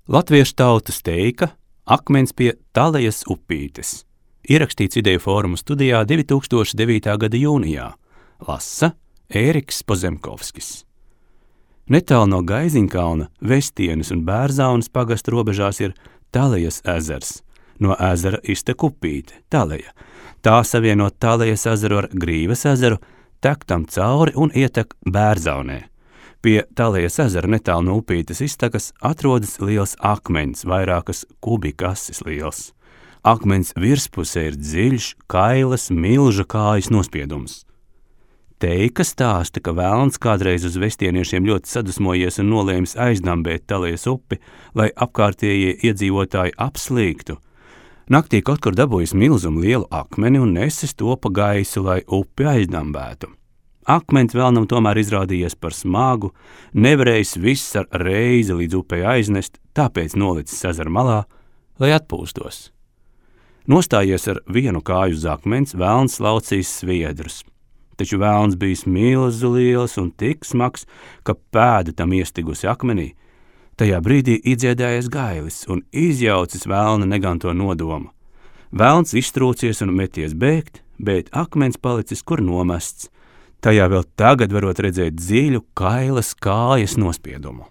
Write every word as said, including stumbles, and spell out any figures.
Latviešu tautas teika Akmens pie Talejas upītes. Ierakstīts Ideju fóruma studijā divi tūkstoši devītā gada jūnijā. Lasa Ēriks Pozemkovskis. Netālu no Gaiziņkalna, Vestienes un Bērzaunas pagasta robežās ir Talejas ezers. No ezera iztek upīte, Taleja. Tā savieno Talejas ezeru ar Grīvas ezeru, tek tam cauri un ietek Bērzaunē. Pie Talejas ezera netālu no upītes iztekas atrodas liels akmens, vairākas kubikasis liels. Akmens virspusē ir dziļš, kailas, milža kājas nospiedums. Teika stāsta, ka velns kādreiz uz vestieniešiem ļoti sadusmojies un nolēmis aizdambēt Talejas upi, lai apkārtējie iedzīvotāji apslīgtu. Naktī kaut kur dabūjis milzumu lielu akmeni un nesis to pa gaisu, lai upi aizdambētu. Akmens velnam tomēr izrādījies par smagu, nevarējis viss ar reizi līdz upei aiznest, tāpēc nolicis ezera malā, lai atpūstos. Nostājies ar vienu kāju uz akmens, velns laucīs sviedrus. Taču velns bijis milzu liels un tik smags, ka pēda tam iestigusi akmenī. Tajā brīdī iedziedājies gailis un izjaucis velna neganto nodomu. Velns iztrūcies un meties bēgt, bet akmens palicis kur nomests. Tajā vēl tagad varot redzēt dziļu, kailas kājas nospiedumu.